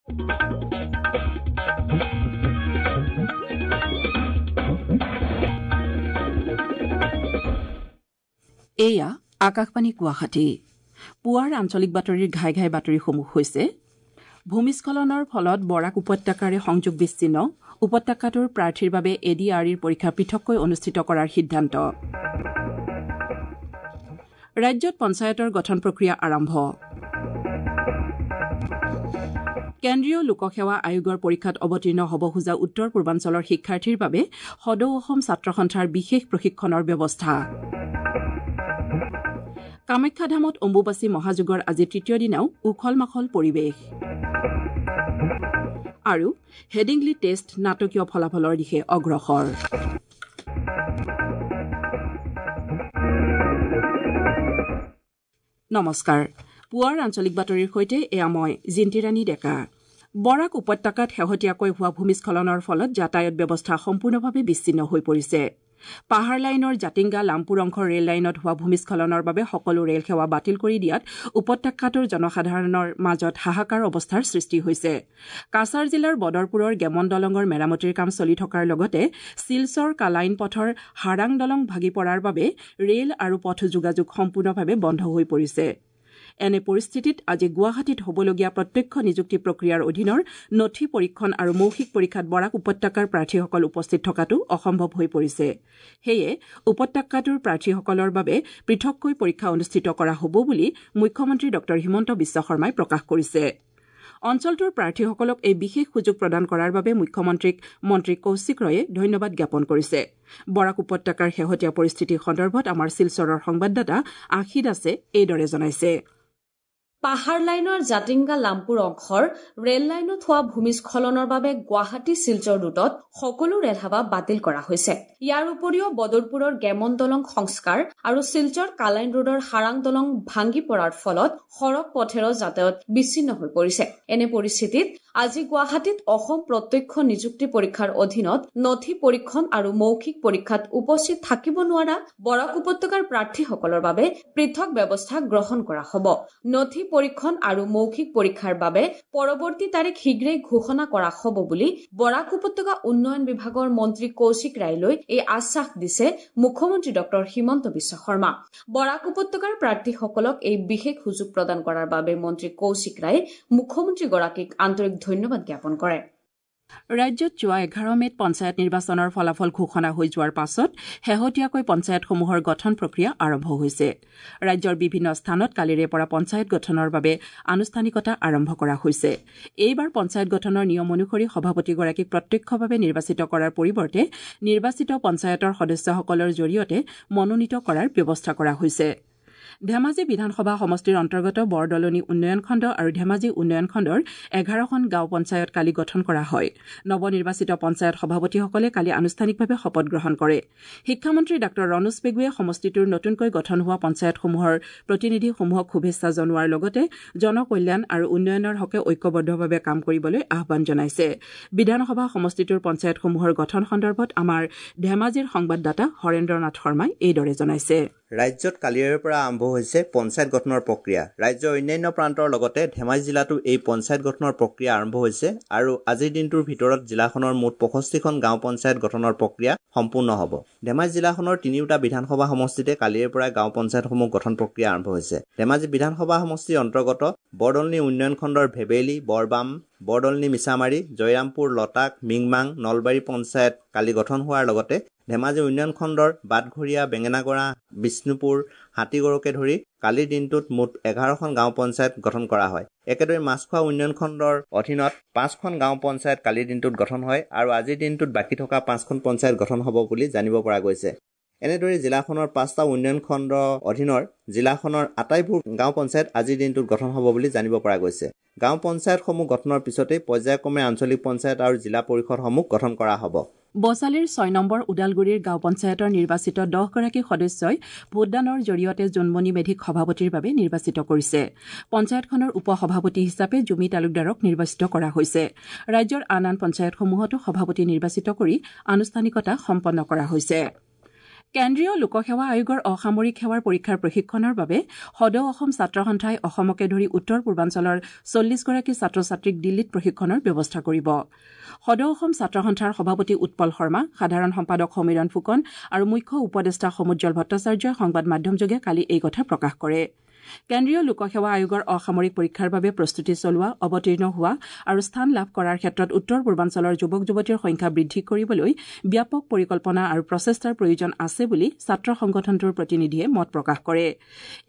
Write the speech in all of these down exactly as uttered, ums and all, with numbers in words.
এয়া আকাশবাণী গুৱাহাটী। পুৱাৰ আঞ্চলিক বাতৰিৰ ঘাই ঘাই বাতৰিসমূহ হৈছে: ভূমিস্খলনৰ ফলত বৰাক উপত্যকাৰে সংযোগ বিচ্ছিন্ন, উপত্যকাটোৰ প্ৰাৰ্থীৰ বাবে এ ডি আৰ ইৰ পৰীক্ষা পৃথককৈ অনুষ্ঠিত কৰাৰ সিদ্ধান্ত। ৰাজ্যত পঞ্চায়তৰ গঠন প্ৰক্ৰিয়া আৰম্ভ। কেন্দ্ৰীয় লোকসেৱা আয়োগৰ পৰীক্ষাত অৱতীৰ্ণ হ'ব খোজা উত্তৰ পূৰ্বাঞ্চলৰ শিক্ষাৰ্থীৰ বাবে সদৌ অসম ছাত্ৰ সন্থাৰ বিশেষ প্ৰশিক্ষণৰ ব্যৱস্থা। কামাখ্যা ধামত অম্বুবাচী মহাযোগৰ আজি তৃতীয় দিনাও উখল মাখল পৰিৱেশ। আৰু হেডিংলি টেষ্ট নাটকীয় ফলাফলৰ দিশে অগ্ৰসৰ। নমস্কাৰ, পুৱাৰ আঞ্চলিক বাতৰিৰ সৈতে এয়া মই জিন্তিৰাণী ডেকা। বৰাক উপত্যকাত শেহতীয়াকৈ হোৱা ভূমিস্খলনৰ ফলত যাতায়াত ব্যৱস্থা সম্পূৰ্ণভাৱে বিচ্ছিন্ন হৈ পৰিছে। পাহাৰ লাইনৰ জাতিংগা লামপুৰ অংশৰ ৰেল লাইনত হোৱা ভূমিস্খলনৰ বাবে সকলো ৰেল সেৱা বাতিল কৰি দিয়াত উপত্যকাটোৰ জনসাধাৰণৰ মাজত হাহাকাৰ অৱস্থাৰ সৃষ্টি হৈছে। কাছাৰ জিলাৰ বদৰপুৰৰ গেমন দলঙৰ মেৰামতিৰ কাম চলি থকাৰ লগতে শিলচৰ কালাইন পথৰ হাৰাং দলং ভাগি পৰাৰ বাবে ৰেল আৰু পথ যোগাযোগ সম্পূৰ্ণভাৱে বন্ধ হৈ পৰিছে। এনে পৰিস্থিতিত আজি গুৱাহাটীত হ'বলগীয়া প্ৰত্যক্ষ নিযুক্তি প্ৰক্ৰিয়াৰ অধীনৰ নথি পৰীক্ষণ আৰু মৌখিক পৰীক্ষাত বৰাক উপত্যকাৰ প্ৰাৰ্থীসকল উপস্থিত থকাটো অসম্ভৱ হৈ পৰিছে। সেয়ে উপত্যকাটোৰ প্ৰাৰ্থীসকলৰ বাবে পৃথককৈ পৰীক্ষা অনুষ্ঠিত কৰা হ'ব বুলি মুখ্যমন্ত্ৰী ডঃ হিমন্ত বিশ্ব শৰ্মাই প্ৰকাশ কৰিছে। অঞ্চলটোৰ প্ৰাৰ্থীসকলক এই বিশেষ সুযোগ প্ৰদান কৰাৰ বাবে মুখ্যমন্ত্ৰীক মন্ত্ৰী কৌশিক ৰয়ে ধন্যবাদ জ্ঞাপন কৰিছে। বৰাক উপত্যকাৰ শেহতীয়া পৰিস্থিতি সন্দৰ্ভত আমাৰ শিলচৰৰ সংবাদদাতা আশী দাসে এইদৰে জনাইছে। পাহাৰ লাইনৰ জাতিংগা লামপুৰ অংশৰ ৰেল লাইনত হোৱা ভূমিস্খলনৰ বাবে গুৱাহাটী শিলচৰ ৰুটত সকলো ৰেলসেৱা বাতিল কৰা হৈছে। ইয়াৰ উপৰিও বদৰপুৰৰ গেমন দলং সংস্কাৰ আৰু শিলচৰ কালাইন ৰোডৰ হাৰাং দলং ভাঙি পৰাৰ ফলত সড়ক পথেৰে যাতায়াত বিচ্ছিন্ন হৈ পৰিছে। এনে পৰিস্থিতিত আজি গুৱাহাটীত অসম প্ৰত্যক্ষ নিযুক্তি পৰীক্ষাৰ অধীনত নথি পৰীক্ষণ আৰু মৌখিক পৰীক্ষাত উপস্থিত থাকিব নোৱাৰা বৰাক উপত্যকাৰ প্ৰাৰ্থীসকলৰ বাবে পৃথক ব্যৱস্থা গ্ৰহণ কৰা হ'ব। নথি পৰীক্ষণ আৰু মৌখিক পৰীক্ষাৰ বাবে পৰৱৰ্তী তাৰিখ শীঘ্ৰেই ঘোষণা কৰা হ'ব বুলি বৰাক উপত্যকা উন্নয়ন বিভাগৰ মন্ত্ৰী কৌশিক ৰায়লৈ এই আশ্বাস দিছে মুখ্যমন্ত্ৰী ডঃ হিমন্ত বিশ্ব শৰ্মা। বৰাক উপত্যকাৰ প্ৰাৰ্থীসকলক এই বিশেষ সুযোগ প্ৰদান কৰাৰ বাবে মন্ত্ৰী কৌশিক ৰায়ে মুখ্যমন্ত্ৰীগৰাকীক আন্তৰিক ধন্যবাদ জ্ঞাপন কৰে। ৰাজ্যত যোৱা এঘাৰ মে'ত পঞ্চায়ত নিৰ্বাচনৰ ফলাফল ঘোষণা হৈ যোৱাৰ পাছত শেহতীয়াকৈ পঞ্চায়তসমূহৰ গঠন প্ৰক্ৰিয়া আৰম্ভ হৈছে। ৰাজ্যৰ বিভিন্ন স্থানত কালিৰে পৰা পঞ্চায়ত গঠনৰ বাবে আনুষ্ঠানিকতা আৰম্ভ কৰা হৈছে। এইবাৰ পঞ্চায়ত গঠনৰ নিয়ম অনুসৰি সভাপতিগৰাকীক প্ৰত্যক্ষভাৱে নিৰ্বাচিত কৰাৰ পৰিৱৰ্তে নিৰ্বাচিত পঞ্চায়তৰ সদস্যসকলৰ জৰিয়তে মনোনীত কৰাৰ ব্যৱস্থা কৰা হৈছে। ধেমাজি বিধানসভা সমষ্টিৰ অন্তৰ্গত বৰদলনি উন্নয়ন খণ্ড আৰু ধেমাজি উন্নয়ন খণ্ডৰ এঘাৰখন গাঁও পঞ্চায়ত কালি গঠন কৰা হয়। নৱনিৰ্বাচিত পঞ্চায়ত সভাপতিসকলে কালি আনুষ্ঠানিকভাৱে শপত গ্ৰহণ কৰে। শিক্ষামন্ত্ৰী ডাঃ ৰণোজ পেগুৱে সমষ্টিটোৰ নতুনকৈ গঠন হোৱা পঞ্চায়তসমূহৰ প্ৰতিনিধিসমূহক শুভেচ্ছা জনোৱাৰ লগতে জনকল্যাণ আৰু উন্নয়নৰ হকে ঐক্যবদ্ধভাৱে কাম কৰিবলৈ আহ্বান জনাইছে। বিধানসভা সমষ্টিটোৰ পঞ্চায়তসমূহৰ গঠন সন্দৰ্ভত আমাৰ ধেমাজিৰ সংবাদদাতা হৰেন্দ্ৰ নাথ শৰ্মাই এইদৰে জনাইছে। ৰাজ্যত কালিৰে পৰা আৰম্ভ হৈছে পঞ্চায়ত গঠনৰ প্ৰক্ৰিয়া। ৰাজ্যৰ অন্যান্য প্ৰান্তৰ লগতে ধেমাজি জিলাতো এই পঞ্চায়ত গঠনৰ প্ৰক্ৰিয়া আৰম্ভ হৈছে আৰু আজিৰ দিনটোৰ ভিতৰত জিলাখনৰ মুঠ পঁয়ষষ্ঠিখন গাঁও পঞ্চায়ত গঠনৰ প্ৰক্ৰিয়া সম্পূৰ্ণ হ'ব। ধেমাজি জিলাখনৰ তিনিওটা বিধানসভা সমষ্টিতে কালিৰে পৰা গাঁও পঞ্চায়তসমূহ গঠন প্ৰক্ৰিয়া আৰম্ভ হৈছে। ধেমাজি বিধানসভা সমষ্টিৰ অন্তৰ্গত বৰদলনি উন্নয়ন খণ্ডৰ ভেবেলী, বৰবাম, বৰদলনি মিছামাৰী, জয়ৰামপুৰ, লতাক, মিংমাং, নলবাৰী পঞ্চায়ত কালি গঠন হোৱাৰ লগতে ধেমাজি উন্নয়ন খণ্ডৰ বাটঘৰীয়া, বেঙেনাগড়া, বিষ্ণুপুৰ, হাতীগড়কে ধৰি কালিৰ দিনটোত মুঠ এঘাৰখন গাঁও পঞ্চায়ত গঠন কৰা হয়। একেদৰে মাছখোৱা উন্নয়ন খণ্ডৰ অধীনত পাঁচখন গাঁও পঞ্চায়ত কালিৰ দিনটোত গঠন হয় আৰু আজিৰ দিনটোত বাকী থকা পাঁচখন পঞ্চায়ত গঠন হ'ব বুলি জানিব পৰা গৈছে। এনেদৰে জিলাখনৰ পাঁচটা উন্নয়ন খণ্ডৰ অধীনৰ জিলাখনৰ আটাইবোৰ গাঁও পঞ্চায়ত আজিৰ দিনটোত গঠন হ'ব বুলি জানিব পৰা গৈছে। গাঁও পঞ্চায়তসমূহ গঠনৰ পিছতেই পৰ্যায়ক্ৰমে আঞ্চলিক পঞ্চায়ত আৰু জিলা পৰিষদসমূহ গঠন কৰা হ'ব। বছালিৰ ছয় নম্বৰ ওদালগুৰিৰ গাঁও পঞ্চায়তৰ নিৰ্বাচিত দহগৰাকী সদস্যই ভোটদানৰ জৰিয়তে জোনমণি মেধিক সভাপতিৰ বাবে নিৰ্বাচিত কৰিছে। পঞ্চায়তখনৰ উপ সভাপতি হিচাপে জুমি তালুকদাৰক নিৰ্বাচিত কৰা হৈছে। ৰাজ্যৰ আন আন পঞ্চায়তসমূহতো সভাপতি নিৰ্বাচিত কৰি আনুষ্ঠানিকতা সম্পন্ন কৰা হৈছে। কেন্দ্ৰীয় লোকসেৱা আয়োগৰ অসামৰিক সেৱাৰ পৰীক্ষাৰ প্ৰশিক্ষণৰ বাবে সদৌ অসম ছাত্ৰ সন্থাই অসমকে ধৰি উত্তৰ পূৰ্বাঞ্চলৰ চল্লিছগৰাকী ছাত্ৰ ছাত্ৰীক দিল্লীত প্ৰশিক্ষণৰ ব্যৱস্থা কৰিব। সদৌ অসম ছাত্ৰ সন্থাৰ সভাপতি উৎপল শৰ্মা, সাধাৰণ সম্পাদক সমীৰণ ফুকন আৰু মুখ্য উপদেষ্টা সমুজ্জ্বল ভট্টাচাৰ্যই সংবাদ মাধ্যমযোগে কালি এই কথা প্ৰকাশ কৰে। কেন্দ্ৰীয় লোকসেৱা আয়োগৰ অসামৰিক পৰীক্ষাৰ বাবে প্ৰস্তুতি চলোৱা, অৱতীৰ্ণ হোৱা আৰু স্থান লাভ কৰাৰ ক্ষেত্ৰত উত্তৰ পূৰ্বাঞ্চলৰ যুৱক যুৱতীৰ সংখ্যা বৃদ্ধি কৰিবলৈ ব্যাপক পৰিকল্পনা আৰু প্ৰচেষ্টাৰ প্ৰয়োজন আছে বুলি ছাত্ৰ সংগঠনটোৰ প্ৰতিনিধিয়ে মত প্ৰকাশ কৰে।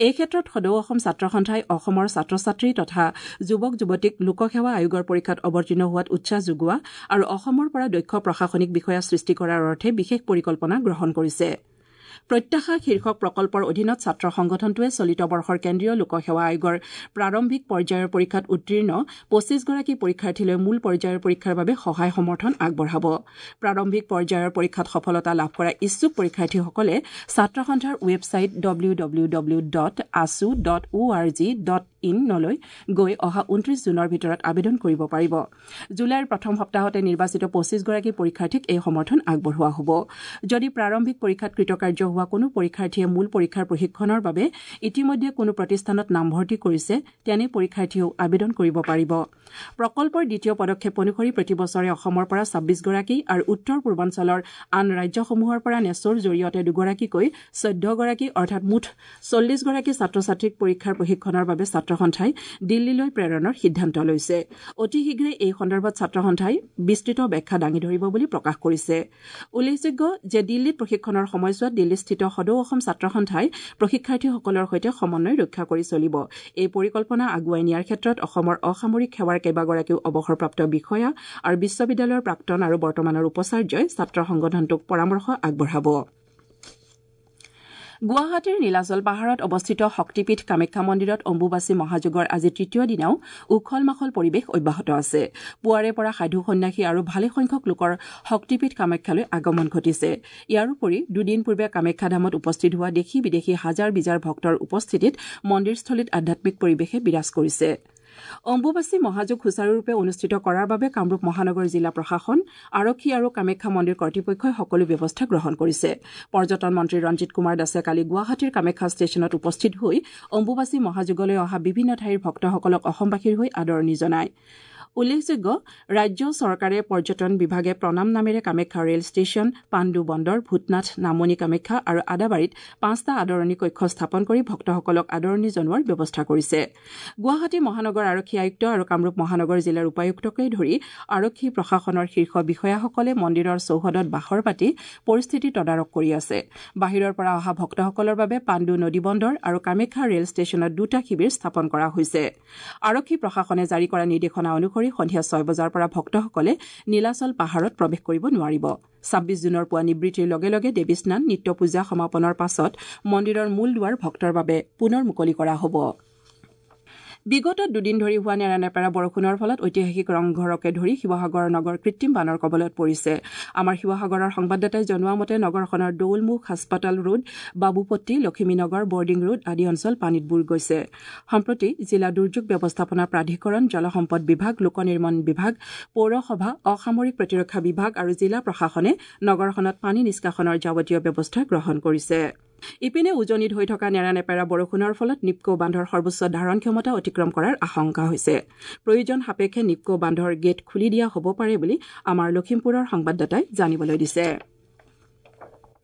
এই ক্ষেত্ৰত সদৌ অসম ছাত্ৰ সন্থাই অসমৰ ছাত্ৰ ছাত্ৰী তথা যুৱক যুৱতীক লোকসেৱা আয়োগৰ পৰীক্ষাত অৱতীৰ্ণ হোৱাত উৎসাহ যোগোৱা আৰু অসমৰ পৰা দক্ষ প্ৰশাসনিক বিষয়া সৃষ্টি কৰাৰ অৰ্থে বিশেষ পৰিকল্পনা গ্ৰহণ কৰিছে। প্ৰত্যাশা শীৰ্ষক প্ৰকল্পৰ অধীনত ছাত্ৰ সংগঠনটোৱে চলিত বৰ্ষৰ কেন্দ্ৰীয় লোকসেৱা আয়োগৰ প্ৰাৰম্ভিক পৰ্যায়ৰ পৰীক্ষাত উত্তীৰ্ণ পঁচিছগৰাকী পৰীক্ষাৰ্থীলৈ মূল পৰ্যায়ৰ পৰীক্ষাৰ বাবে সহায় সমৰ্থন আগবঢ়াব। প্ৰাৰম্ভিক পৰ্যায়ৰ পৰীক্ষাত সফলতা লাভ কৰা ইচ্ছুক পৰীক্ষাৰ্থীসকলে ছাত্ৰ সন্থাৰ website W W W dot AASU dot O R G dot ইনলৈ গৈ অহা ঊনত্ৰিশ জুনৰ ভিতৰত আবেদন কৰিব পাৰিব। জুলাইৰ প্ৰথম সপ্তাহতে নিৰ্বাচিত পঁচিছগৰাকী পৰীক্ষাৰ্থীক এই সমৰ্থন আগবঢ়োৱা হ'ব। যদি প্ৰাৰম্ভিক পৰীক্ষাত কৃতকাৰ্য হোৱা কোনো পৰীক্ষাৰ্থীয়ে মূল পৰীক্ষাৰ প্ৰশিক্ষণৰ বাবে ইতিমধ্যে কোনো প্ৰতিষ্ঠানত নামভৰ্তি কৰিছে, তেনে পৰীক্ষাৰ্থীয়েও আবেদন কৰিব পাৰিব। প্ৰকল্পৰ দ্বিতীয় পদক্ষেপ অনুসৰি প্ৰতি বছৰে অসমৰ পৰা ছাব্বিছগৰাকী আৰু উত্তৰ পূৰ্বাঞ্চলৰ আন ৰাজ্যসমূহৰ পৰা নেছ'ৰ জৰিয়তে দুগৰাকীকৈ চৈধ্যগৰাকী অৰ্থাৎ মুঠ চল্লিছগৰাকী ছাত্ৰ ছাত্ৰীক পৰীক্ষাৰ প্ৰশিক্ষণৰ বাবে ছাত্ৰ সন্থাই দিল্লীলৈ প্ৰেৰণৰ সিদ্ধান্ত লৈছে। অতি শীঘ্ৰে এই সন্দৰ্ভত ছাত্ৰ সন্থাই বিস্তৃত ব্যাখ্যা দাঙি ধৰিব বুলি প্ৰকাশ কৰিছে। উল্লেখযোগ্য যে দিল্লীত প্ৰশিক্ষণৰ সময়ছোৱাত দিল্লীস্থিত সদৌ অসম ছাত্ৰ সন্থাই প্ৰশিক্ষাৰ্থীসকলৰ সৈতে সমন্বয় ৰক্ষা কৰি চলিব। এই পৰিকল্পনা আগুৱাই নিয়াৰ ক্ষেত্ৰত অসমৰ অসামৰিক সেৱাৰ কেইবাগৰাকীও অৱসৰপ্ৰাপ্ত বিষয়া আৰু বিশ্ববিদ্যালয়ৰ প্ৰাক্তন আৰু বৰ্তমানৰ উপাচাৰ্যই ছাত্ৰ সংগঠনটোক পৰামৰ্শ আগবঢ়াব। গুৱাহাটীৰ নীলাচল পাহাৰত অৱস্থিত শক্তিপীঠ কামাখ্যা মন্দিৰত অম্বুবাচী মহাযোগৰ আজি তৃতীয় দিনাও উখল মাখল পৰিৱেশ অব্যাহত আছে। পুৱাৰে পৰা সাধু সন্যাসী আৰু ভালেসংখ্যক লোকৰ শক্তিপীঠ কামাখ্যালৈ আগমন ঘটিছে। ইয়াৰ উপৰি দুদিন পূৰ্বে কামাখ্যা ধামত উপস্থিত হোৱা দেশী বিদেশী হাজাৰ বিজাৰ ভক্তৰ উপস্থিতিত মন্দিৰস্থলীত আধ্যাত্মিক পৰিৱেশে বিৰাজ কৰিছে। অম্বুবাচী মহাযোগ সুচাৰুৰূপে অনুষ্ঠিত কৰাৰ বাবে কামৰূপ মহানগৰ জিলা প্ৰশাসন, আৰক্ষী আৰু কামাখ্যা মন্দিৰ কৰ্তৃপক্ষই সকলো ব্যৱস্থা গ্ৰহণ কৰিছে। পৰ্যটন মন্ত্ৰী ৰঞ্জিত কুমাৰ দাসে কালি গুৱাহাটীৰ কামাখ্যা ষ্টেচনত উপস্থিত হৈ অম্বুবাচী মহাযোগলৈ অহা বিভিন্ন ঠাইৰ ভক্তসকলক অসমবাসীৰ হৈ আদৰণি জনায়। উল্লেখযোগ্য ৰাজ্য চৰকাৰে পৰ্যটন বিভাগে প্ৰণাম নামেৰে কামাখ্যা ৰেল ষ্টেচন, পাণ্ডু বন্দৰ, ভূতনাথ, নামনি কামাখ্যা আৰু আদাবাৰীত পাঁচটা আদৰণি কক্ষ স্থাপন কৰি ভক্তসকলক আদৰণি জনোৱাৰ ব্যৱস্থা কৰিছে। গুৱাহাটী মহানগৰ আৰক্ষী আয়ুক্ত আৰু কামৰূপ মহানগৰ জিলাৰ উপায়ুক্তকে ধৰি আৰক্ষী প্ৰশাসনৰ শীৰ্ষ বিষয়াসকলে মন্দিৰৰ চৌহদত বাহৰ পাতি পৰিস্থিতি তদাৰক কৰি আছে। বাহিৰৰ পৰা অহা ভক্তসকলৰ বাবে পাণ্ডু নদী বন্দৰ আৰু কামাখ্যা ৰেল ষ্টেচনত দুটা শিবিৰ স্থাপন কৰা হৈছে। আৰক্ষী প্ৰশাসনে জাৰি কৰা নিৰ্দেশনা অনুসৰি সন্ধিয়া ছয় বজাৰ পৰা ভক্তসকলে নীলাচল পাহাৰত প্ৰৱেশ কৰিব নোৱাৰিব। ছাব্বিছ জুনৰ পুৱা নিবৃত্তিৰ লগে লগে দেৱী স্নান, নিত্য পূজা সমাপনৰ পাছত মন্দিৰৰ মূল দুৱাৰ ভক্তৰ বাবে পুনৰ মুকলি কৰা হ'ব। বিগত দুদিন ধৰি হোৱা নেৰানেপেৰা বৰষুণৰ ফলত ঐতিহাসিক ৰংঘৰকে ধৰি শিৱসাগৰ নগৰ কৃত্ৰিম বানৰ কবলত পৰিছে। আমাৰ শিৱসাগৰৰ সংবাদদাতাই জনোৱা মতে নগৰখনৰ দৌলমুখ, হাস্পতাল ৰোড, বাবুপট্টি, লখিমীনগৰ, বৰ্ডিং ৰোড আদি অঞ্চল পানীত বুৰ গৈছে। সম্প্ৰতি জিলা দুৰ্যোগ ব্যৱস্থাপনা প্ৰাধিকৰণ, জলসম্পদ বিভাগ, লোক নিৰ্মাণ বিভাগ, পৌৰসভা, অসামৰিক প্ৰতিৰক্ষা বিভাগ আৰু জিলা প্ৰশাসনে নগৰখনত পানী নিষ্কাশনৰ যাৱতীয় ব্যৱস্থা গ্ৰহণ কৰিছে। ইপিনে উজনিত হৈ থকা নেৰানেপেৰা বৰষুণৰ ফলত নিপকো বান্ধৰ সৰ্বোচ্চ ধাৰণ ক্ষমতা অতিক্ৰম কৰাৰ আশংকা হৈছে। প্ৰয়োজন সাপেক্ষে নিপকো বান্ধৰ গেট খুলি দিয়া হ'ব পাৰে বুলি আমাৰ লখিমপুৰৰ সংবাদদাতাই জানিবলৈ দিছে।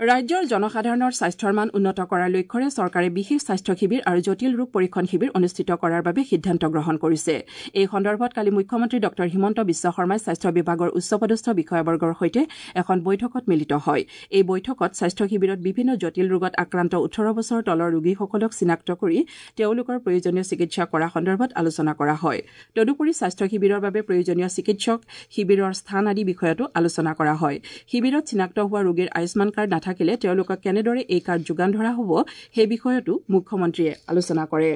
ৰাজ্যৰ জনসাধাৰণৰ স্বাস্থ্যৰ মান উন্নত কৰাৰ লক্ষ্যৰে চৰকাৰে বিশেষ স্বাস্থ্য শিবিৰ আৰু জটিল ৰোগ পৰীক্ষণ শিবিৰ অনুষ্ঠিত কৰাৰ বাবে সিদ্ধান্ত গ্ৰহণ কৰিছে। এই সন্দৰ্ভত কালি মুখ্যমন্ত্ৰী ডঃ হিমন্ত বিশ্ব শৰ্মাই স্বাস্থ্য বিভাগৰ উচ্চপদস্থ বিষয়াবৰ্গৰ সৈতে এখন বৈঠকত মিলিত হয়। এই বৈঠকত স্বাস্থ্য শিবিৰত বিভিন্ন জটিল ৰোগত আক্ৰান্ত ওঠৰ বছৰ তলৰ ৰোগীসকলক চিনাক্ত কৰি তেওঁলোকৰ প্ৰয়োজনীয় চিকিৎসা কৰা সন্দৰ্ভত আলোচনা কৰা হয়। তদুপৰি স্বাস্থ্য শিবিৰৰ বাবে প্ৰয়োজনীয় চিকিৎসক, শিবিৰৰ স্থান আদি বিষয়তো আলোচনা কৰা হয়। শিবিৰত চিনাক্ত হোৱা ৰোগীৰ আয়ুষ্মান কাৰ্ড নাথাকিলে তেওঁলোকক কেনেদৰে এই কাৰ্ড যোগান ধৰা হ'ব সেই বিষয়তো মুখ্যমন্ত্ৰীয়ে আলোচনা কৰে।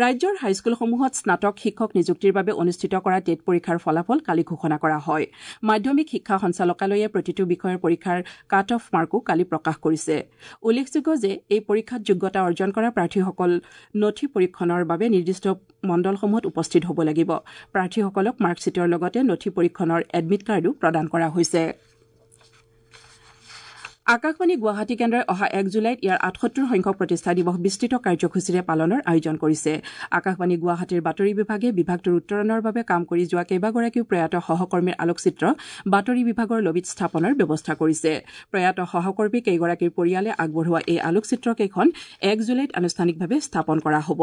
ৰাজ্যৰ হাইস্কুলসমূহত স্নাতক শিক্ষক নিযুক্তিৰ বাবে অনুষ্ঠিত কৰা টেট পৰীক্ষাৰ ফলাফল কালি ঘোষণা কৰা হয়। মাধ্যমিক শিক্ষা সঞ্চালকালয়ে প্ৰতিটো বিষয়ৰ পৰীক্ষাৰ কাট অফ মাৰ্কো কালি প্ৰকাশ কৰিছে। উল্লেখযোগ্য যে এই পৰীক্ষাত যোগ্যতা অৰ্জন কৰা প্ৰাৰ্থীসকল নথি পৰীক্ষণৰ বাবে নিৰ্দিষ্ট মণ্ডলসমূহত উপস্থিত হ'ব লাগিব। প্ৰাৰ্থীসকলক মাৰ্কশ্বিটৰ লগতে নথি পৰীক্ষণৰ এডমিট কাৰ্ডো প্ৰদান কৰা হৈছে। আকাশবাণী গুৱাহাটী কেন্দ্ৰই অহা এক জুলাইত ইয়াৰ আঠসত্তৰ সংখ্যক প্ৰতিষ্ঠা দিৱস বিস্তৃত কাৰ্যসূচীৰে পালনৰ আয়োজন কৰিছে। আকাশবাণী গুৱাহাটীৰ বাতৰি বিভাগে বিভাগটোৰ উত্তৰণৰ বাবে কাম কৰি যোৱা কেইবাগৰাকীও প্ৰয়াত সহকৰ্মীৰ আলোকচিত্ৰ বাতৰি বিভাগৰ লবিত স্থাপনৰ ব্যৱস্থা কৰিছে। প্ৰয়াত সহকৰ্মী কেইগৰাকীৰ পৰিয়ালে আগবঢ়োৱা এই আলোকচিত্ৰকেইখন এক জুলাইত আনুষ্ঠানিকভাৱে স্থাপন কৰা হ'ব।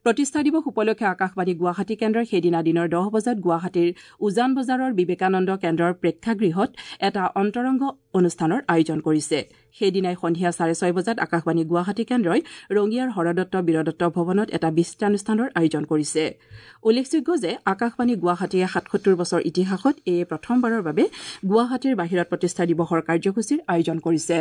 প্ৰতিষ্ঠা দিৱস উপলক্ষে আকাশবাণী গুৱাহাটী কেন্দ্ৰই সেইদিনা দিনৰ দহ বজাত গুৱাহাটীৰ উজান বজাৰৰ বিবেকানন্দ কেন্দ্ৰৰ প্ৰেক্ষাগৃহত এটা অন্তৰংগ অনুষ্ঠানৰ আয়োজন কৰিছে। সেইদিনাই সন্ধিয়া চাৰে ছয় বজাত আকাশবাণী গুৱাহাটী কেন্দ্ৰই ৰঙিয়াৰ হৰদত্ত বীৰদত্ত ভৱনত এটা বিস্তৃতানুষ্ঠানৰ আয়োজন কৰিছে। উল্লেখযোগ্য যে আকাশবাণী গুৱাহাটীয়ে সাতসত্তৰ বছৰ ইতিহাসত এয়ে প্ৰথমবাৰৰ বাবে গুৱাহাটীৰ বাহিৰত প্ৰতিষ্ঠা দিৱসৰ কাৰ্যসূচীৰ আয়োজন কৰিছে।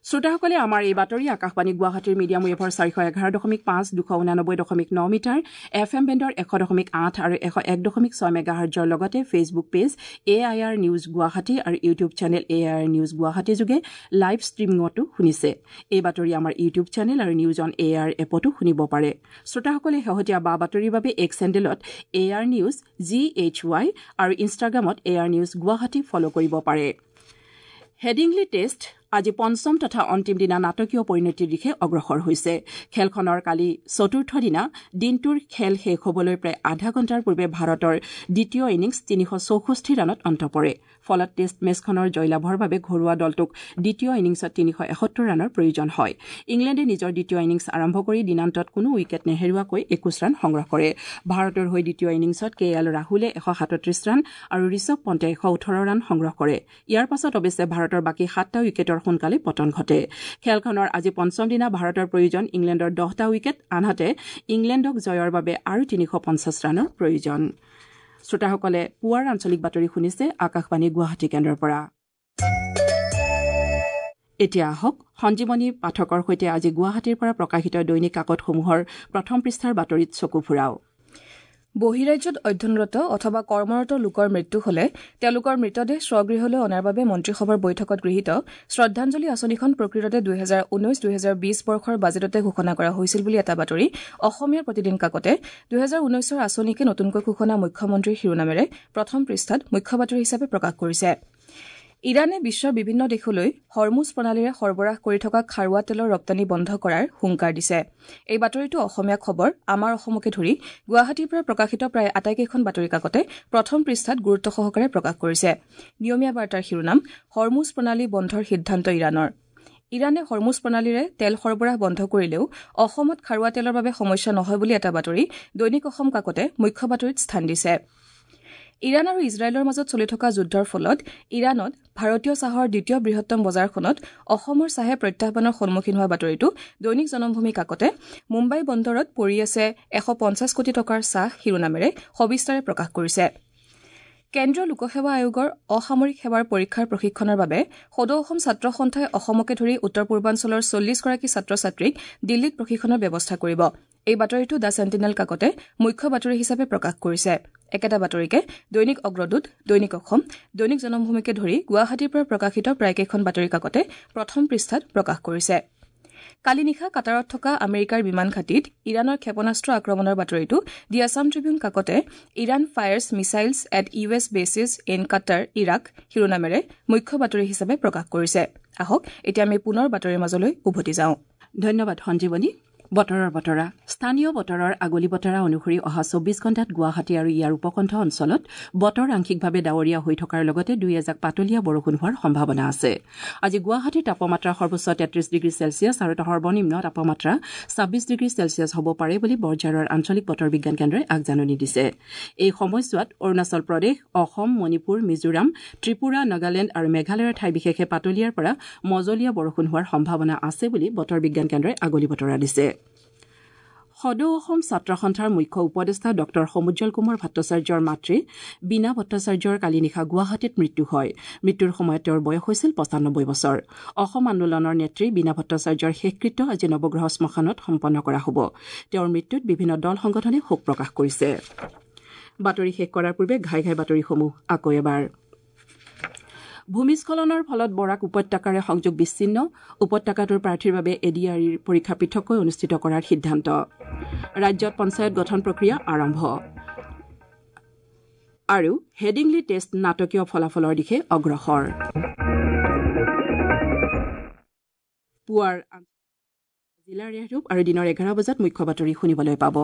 শ্ৰোতাসকলে আমাৰ এই বাতৰি আকাশবাণী গুৱাহাটীৰ মিডিয়াম ৱেভৰ চাৰিশ এঘাৰ দশমিক পাঁচ, দুশ ঊনানব্বৈ দশমিক ন মিটাৰ, এফ এম বেণ্ডৰ এশ দশমিক আঠ আৰু এশ এক দশমিক ছয় মেগাহাৰ্জৰ লগতে Facebook page A I R news Guwahati আৰু YouTube channel A I R news Guwahati যোগে লাইভ ষ্ট্ৰীমিঙতো শুনিছে। এই বাতৰি আমাৰ ইউটিউব চেনেল আৰু নিউজ অন এ আৰ এপতো শুনিব পাৰে। শ্ৰোতাসকলে শেহতীয়া বা বাতৰিৰ বাবে এক্স হেণ্ডেলত A R news G H Y আৰু ইনষ্টাগ্ৰামত A R news Guwahati follow কৰিব পাৰে। হেডিংলি টেষ্ট আজি পঞ্চম তথা অন্তিম দিনা নাটকীয় পৰিণতিৰ দিশে অগ্ৰসৰ হৈছে। খেলখনৰ কালি চতুৰ্থ দিনা দিনটোৰ খেল শেষ হ'বলৈ প্ৰায় আধা ঘণ্টাৰ পূৰ্বে ভাৰতৰ দ্বিতীয় ইনিংছ তিনিশ চৌষষ্ঠি ৰানত অন্ত পৰে। ফলত টেষ্ট মেচখনৰ জয়লাভৰ বাবে ঘৰুৱা দলটোক দ্বিতীয় ইনিংছত তিনিশ এসত্তৰ ৰানৰ প্ৰয়োজন হয়। ইংলেণ্ডে নিজৰ দ্বিতীয় ইনিংছ আৰম্ভ কৰি দিনান্তত কোনো উইকেট নেহেৰুৱাকৈ একৈশ ৰান সংগ্ৰহ কৰে। ভাৰতৰ হৈ দ্বিতীয় ইনিংছত কে এল ৰাহুলে এশ সাতত্ৰিশ ৰান আৰু ঋষভ পণ্টে এশ ওঠৰ ৰান সংগ্ৰহ কৰে। ইয়াৰ পাছত অৱশ্যে ভাৰতৰ বাকী সাতটা উইকেটৰ সোনকালে পতন ঘটে। খেলখনৰ আজি পঞ্চম দিনা ভাৰতৰ প্ৰয়োজন ইংলেণ্ডৰ দহটা উইকেট, আনহাতে ইংলেণ্ডক জয়ৰ বাবে আৰু তিনিশ পঞ্চাছ ৰানৰ প্ৰয়োজন। শ্ৰোতাসকলে পুৱাৰ আঞ্চলিক বাতৰি শুনিছে আকাশবাণী গুৱাহাটী কেন্দ্ৰৰ পৰা। এতিয়া আহক সঞ্জীৱনী পাঠকৰ সৈতে আজি গুৱাহাটীৰ পৰা প্ৰকাশিত দৈনিক কাকতসমূহৰ প্ৰথম পৃষ্ঠাৰ বাতৰিত চকু ফুৰাওঁ। বহিৰাজ্যত অধ্যয়নৰত অথবা কৰ্মৰত লোকৰ মৃত্যু হলে তেওঁলোকৰ মৃতদেহ স্বগৃহলৈ অনাৰ বাবে মন্ত্ৰীসভাৰ বৈঠকত গৃহীত শ্ৰদ্ধাঞ্জলি আঁচনিখন প্ৰকৃততে দুহেজাৰ ঊনৈশ দুহেজাৰ বিশ বৰ্ষৰ বাজেটতে ঘোষণা কৰা হৈছিল বুলি এটা বাতৰি অসমীয়া প্ৰতিদিন কাকতে দুহেজাৰ ঊনৈশৰ আঁচনিকে নতুনকৈ ঘোষণা মুখ্যমন্ত্ৰীৰ শিৰোনামেৰে প্ৰথম পৃষ্ঠাত মুখ্য বাতৰি হিচাপে প্ৰকাশ কৰিছে। ইৰাণে বিশ্বৰ বিভিন্ন দেশলৈ হৰমুজ প্ৰণালীৰে সৰবৰাহ কৰি থকা খাৰুৱা তেলৰ ৰপ্তানি বন্ধ কৰাৰ হুংকাৰ দিছে। এই বাতৰিটো অসমীয়া খবৰ, আমাৰ অসমকে ধৰি গুৱাহাটীৰ পৰা প্ৰকাশিত প্ৰায় আটাইকেইখন বাতৰি কাকতে প্ৰথম পৃষ্ঠাত গুৰুত্ব সহকাৰে প্ৰকাশ কৰিছে। নিয়মীয়া বাৰ্তাৰ শিৰোনাম হৰমুজ প্ৰণালী বন্ধৰ সিদ্ধান্ত ইৰাণৰ। ইৰাণে হৰমুজ প্ৰণালীৰে তেল সৰবৰাহ বন্ধ কৰিলেও অসমত খাৰুৱা তেলৰ বাবে সমস্যা নহয় বুলি এটা বাতৰি দৈনিক অসম কাকতে মুখ্য বাতৰিত স্থান দিছে। ইৰাণ আৰু ইজৰাইলৰ মাজত চলি থকা যুদ্ধৰ ফলত ইৰাণত ভাৰতীয় চাহৰ দ্বিতীয় বৃহত্তম বজাৰখনত অসমৰ চাহে প্ৰত্যাহ্বানৰ সন্মুখীন হোৱা বাতৰিটো দৈনিক জনমভূমি কাকতে মুম্বাই বন্দৰত পৰি আছে এশ পঞ্চাছ কোটি টকাৰ চাহ শিৰোনামেৰে সবিস্তাৰে প্ৰকাশ কৰিছে। কেন্দ্ৰীয় লোকসেৱা আয়োগৰ অসামৰিক সেৱাৰ পৰীক্ষাৰ প্ৰশিক্ষণৰ বাবে সদৌ অসম ছাত্ৰ সন্থাই অসমকে ধৰি উত্তৰ পূৰ্বাঞ্চলৰ চল্লিছগৰাকী ছাত্ৰ ছাত্ৰীক দিল্লীত প্ৰশিক্ষণৰ ব্যৱস্থা কৰিব। এই বাতৰিটো the sentinel কাকতে মুখ্য বাতৰি হিচাপে প্ৰকাশ কৰিছে। একেটা বাতৰিকে দৈনিক অগ্ৰদূত, দৈনিক অসম, দৈনিক জনমভূমিকে ধৰি গুৱাহাটীৰ পৰা প্ৰকাশিত প্ৰায়কেইখন বাতৰি কাকতে প্ৰথম পৃষ্ঠাত প্ৰকাশ কৰিছে। কালি নিশা কাটাৰত থকা আমেৰিকাৰ বিমান ঘাটিত ইৰাণৰ ক্ষেপণাস্ত্ৰ আক্ৰমণৰ বাতৰিটো দি আছাম ট্ৰিবিউন কাকতে Iran fires missiles at U S bases in Qatar, Iraq শিৰোনামেৰে মুখ্য বাতৰি হিচাপে প্ৰকাশ কৰিছে। আহক এতিয়া আমি পুনৰ বাতৰিৰ মাজলৈ উভতি যাওঁ। ধন্যবাদ সঞ্জীৱনী। বতৰৰ বতৰা। স্থানীয় বতৰৰ আগলি বতৰা অনুসৰি অহা চৌবিশ ঘণ্টাত গুৱাহাটী আৰু ইয়াৰ উপকণ্ঠ অঞ্চলত বতৰ আংশিকভাৱে ডাৱৰীয়া হৈ থকাৰ লগতে দুই এজাক পাতলীয়া বৰষুণ হোৱাৰ সম্ভাৱনা আছে। আজি গুৱাহাটীৰ তাপমাত্ৰা সৰ্বোচ্চ তেত্ৰিশ ডিগ্ৰী চেলছিয়াছ আৰু সৰ্বনিম্ন তাপমাত্ৰা ছাব্বিছ ডিগ্ৰী চেলছিয়াছ হ'ব পাৰে বুলি বৰঝাৰৰ আঞ্চলিক বতৰ বিজ্ঞান কেন্দ্ৰই আগজাননী দিছে। এই সময়ছোৱাত অৰুণাচল প্ৰদেশ, অসম, মণিপুৰ, মিজোৰাম, ত্ৰিপুৰা, নাগালেণ্ড আৰু মেঘালয়ৰ ঠাই বিশেষে পাতলীয়াৰ পৰা মজলীয়া বৰষুণ হোৱাৰ সম্ভাৱনা আছে বুলি বতৰ বিজ্ঞান কেন্দ্ৰই আগলি বতৰা দিছে। সদৌ অসম ছাত্ৰ সন্থাৰ মুখ্য উপদেষ্টা ডঃ সমুজ্জ্বল কুমাৰ ভট্টাচাৰ্যৰ মাতৃ বীণা ভট্টাচাৰ্যৰ কালি নিশা গুৱাহাটীত মৃত্যু হয়। মৃত্যুৰ সময়ত তেওঁৰ বয়স হৈছিল পঁচানব্বৈ বছৰ। অসম আন্দোলনৰ নেত্ৰী বীণা ভট্টাচাৰ্যৰ শেষকৃত্য আজি নৱগ্ৰহ শ্মশানত সম্পন্ন কৰা হ'ব। তেওঁৰ মৃত্যুত বিভিন্ন দল সংগঠনে শোক প্ৰকাশ কৰিছে। বাতৰি শেষ কৰাৰ পূৰ্বে ঘাই ঘাই বাতৰিসমূহ আকৌ এবাৰ। ভূমিস্খলনৰ ফলত বৰাক উপত্যকাৰে সংযোগ বিচ্ছিন্ন, উপত্যকাটোৰ প্ৰাৰ্থীৰ বাবে এ ডি আৰ ইৰ পৰীক্ষা পৃথককৈ অনুষ্ঠিত কৰাৰ সিদ্ধান্ত। ৰাজ্যত পঞ্চায়ত গঠন প্ৰক্ৰিয়া আৰম্ভ আৰু হেডিংলি টেষ্ট নাটকীয় ফলাফলৰ দিশে অগ্ৰসৰ। পুৱাৰ জিলাৰ ৰেহৰূপ আৰু দিনৰ এঘাৰ বজাত মুখ্য বাতৰি শুনিবলৈ পাব।